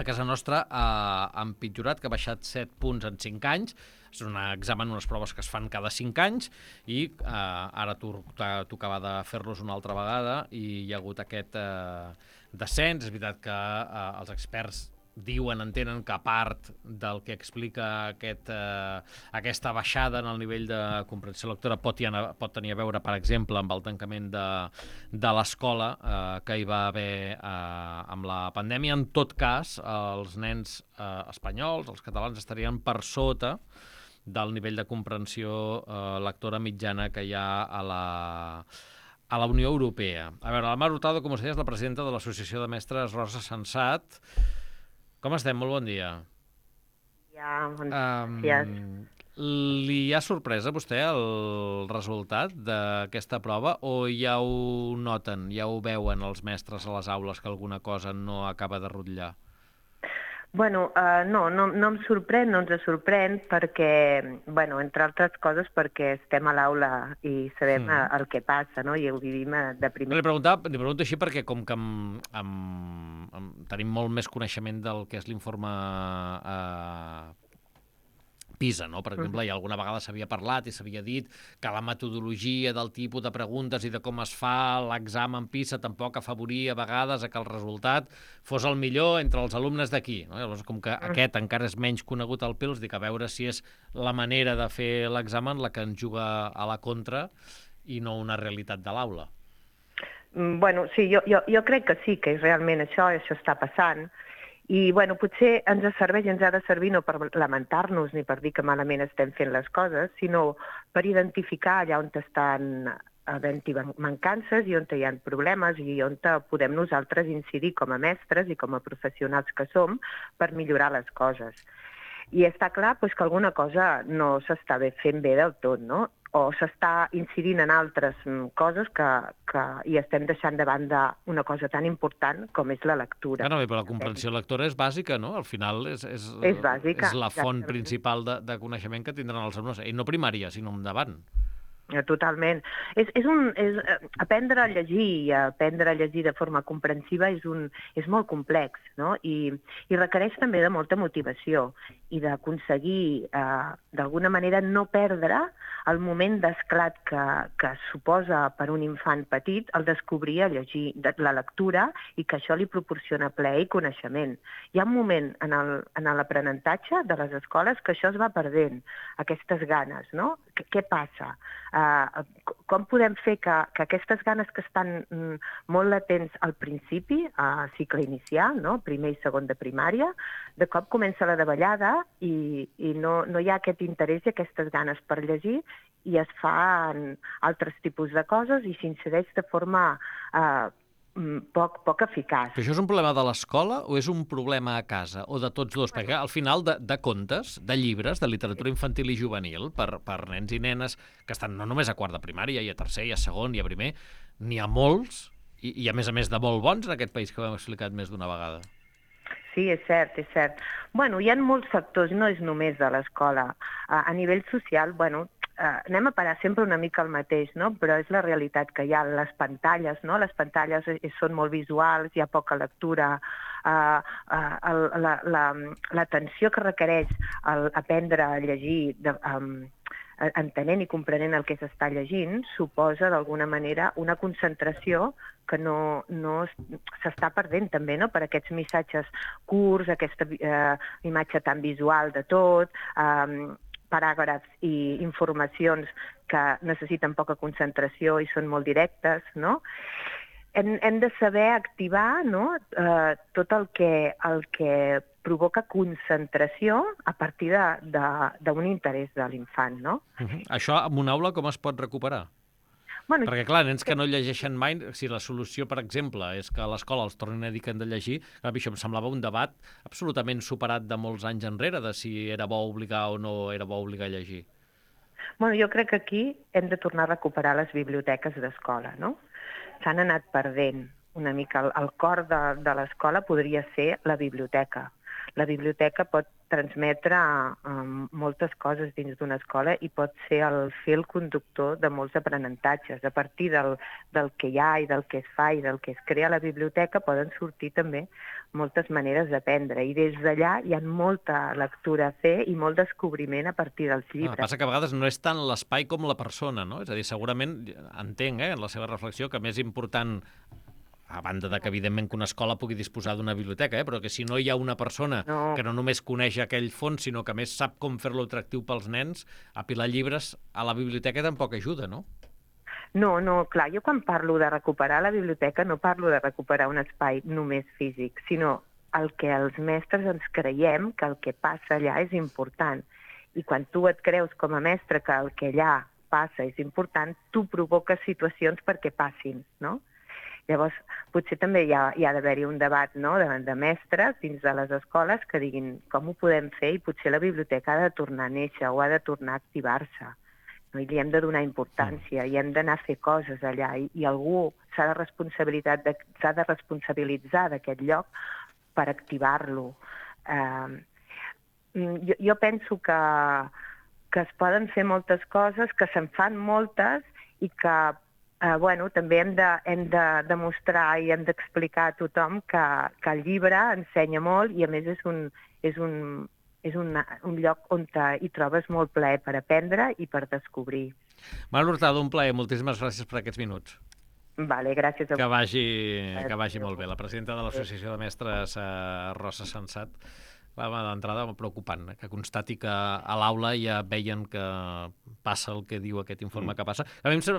casa nostra ha empitjorat, que ha baixat 7 punts en 5 anys. És un examen, unes proves que es fan cada 5 anys i ara tocava de fer-los una altra vegada i hi ha hagut aquest descens. És veritat que els experts entenen que a part del que explica aquesta baixada en el nivell de comprensió lectora pot tenir a veure, per exemple, amb el tancament de l'escola que hi va haver amb la pandèmia. En tot cas, els nens espanyols, els catalans, estarien per sota del nivell de comprensió lectora mitjana que hi ha a la Unió Europea. A veure, la Mar Hurtado, com us deia, és la presidenta de l'Associació de Mestres Rosa Sensat. Com estem? Molt bon dia. Gràcies. Li ha sorprès a vostè el resultat d'aquesta prova o ja ho noten, ja ho veuen els mestres a les aules que alguna cosa no acaba de rutllar? Bueno, no em sorprèn, no ens sorprèn perquè, bueno, entre altres coses perquè estem a l'aula i sabem el que passa, no? I ho vivim de primer. Li pregunto així perquè com que tenim molt més coneixement del que és l'informe PISA, no? Per exemple, alguna vegada s'havia parlat i s'havia dit que la metodologia del tipus de preguntes i de com es fa l'examen PISA tampoc afavoria a vegades que el resultat fos el millor entre els alumnes d'aquí. No? Llavors, com que aquest encara és menys conegut al PILS, dic a veure si és la manera de fer l'examen la que ens juga a la contra i no una realitat de l'aula. Bueno, sí, jo crec que sí, que realment això està passant. I, bueno, potser ens serveix i ens ha de servir no per lamentar-nos ni per dir que malament estem fent les coses, sinó per identificar allà on estan havent-hi mancances i on hi ha problemes i on podem nosaltres incidir com a mestres i com a professionals que som per millorar les coses. I està clar que alguna cosa no s'està fent bé del tot, no? O s'està incidint en altres coses que hi estem deixant de banda una cosa tan important com és la lectura. Però la comprensió lectora és bàsica, no? Al final és bàsica, és la font principal de coneixement que tindran els alumnes, i no primària, sinó endavant. Totalment. Aprendre a llegir i aprendre a llegir de forma comprensiva és molt complex, no? I requereix també de molta motivació i d'aconseguir, d'alguna manera, no perdre el moment d'esclat que suposa per un infant petit el descobrir a llegir la lectura i que això li proporciona plaer i coneixement. Hi ha un moment en l'aprenentatge de les escoles que això es va perdent, aquestes ganes, no? Què passa? Com podem fer que aquestes ganes que estan molt latents al principi, a cicle inicial, no? Primer i segon de primària, de cop comença la davallada i no hi ha aquest interès i aquestes ganes per llegir i es fan altres tipus de coses i s'incideix de forma poc eficaç. Però això és un problema de l'escola o és un problema a casa? O de tots dos? Perquè al final de contes, de llibres, de literatura infantil i juvenil, per nens i nenes que estan no només a quart de primària, i a tercer, i a segon, i a primer, n'hi ha molts, i a més de molt bons en aquest país que ho hem explicat més d'una vegada. Sí, és cert, és cert. Bueno, hi ha molts factors, no és només de l'escola. A nivell social, bueno, anem a parar sempre una mica el mateix, no? Però és la realitat que hi ha. Les pantalles, no? Les pantalles són molt visuals, hi ha poca lectura, l'atenció que requereix aprendre a llegir entenent i comprenent el que s'està llegint, suposa d'alguna manera una concentració que no s'està perdent també, no? Per aquests missatges curts, aquesta imatge tan visual de tot, paràgrafs i informacions que necessiten poca concentració i són molt directes, no? Hem de saber activar, no? Tot el que provoca concentració a partir d'un interès de l'infant, no? Això en una aula com es pot recuperar? Bueno, perquè, clar, nens que no llegeixen mai, si la solució, per exemple, és que a l'escola els tornin a dir que han de llegir, això em semblava un debat absolutament superat de molts anys enrere, de si era bo obligar o no era bo obligar a llegir. Bueno, jo crec que aquí hem de tornar a recuperar les biblioteques d'escola, no? S'han anat perdent una mica. El cor de l'escola podria ser la biblioteca. La biblioteca pot transmetre moltes coses dins d'una escola i pot ser el fil conductor de molts aprenentatges. A partir del que hi ha i del que es fa i del que es crea a la biblioteca poden sortir també moltes maneres d'aprendre. I des d'allà hi ha molta lectura a fer i molt descobriment a partir dels llibres. Passa que a vegades no és tant l'espai com la persona, no? És a dir, segurament, entenc, en la seva reflexió, que més important, a banda de que, evidentment, que una escola pugui disposar d'una biblioteca, però que si no hi ha una persona que no només coneix aquell fons, sinó que més sap com fer-lo atractiu pels nens, apilar llibres a la biblioteca tampoc ajuda, no? No, clar, jo quan parlo de recuperar la biblioteca no parlo de recuperar un espai només físic, sinó el que els mestres ens creiem que el que passa allà és important. I quan tu et creus com a mestre que el que allà passa és important, tu provoques situacions perquè passin, no? Llavors, potser també hi ha d'haver-hi un debat, no?, de mestres dins de les escoles que diguin com ho podem fer i potser la biblioteca ha de tornar a néixer o ha de tornar a activar-se. No? I li hem de donar importància i hem d'anar a fer coses allà i algú s'ha de responsabilitzar d'aquest lloc per activar-lo. Jo penso que es poden fer moltes coses, que se'n fan moltes i que també hem de demostrar i hem d'explicar a tothom que el llibre ensenya molt i a més és un lloc on hi trobes molt plaer per aprendre i per descobrir. Manuel Hurtado, un plaer. Moltíssimes gràcies per aquests minuts. Vale, gràcies a vosaltres. Que vagi molt bé. La presidenta de l'Associació de Mestres, Rosa Sensat, d'entrada preocupant, que constati que a l'aula ja veien que passa el que diu aquest informe que passa. A mi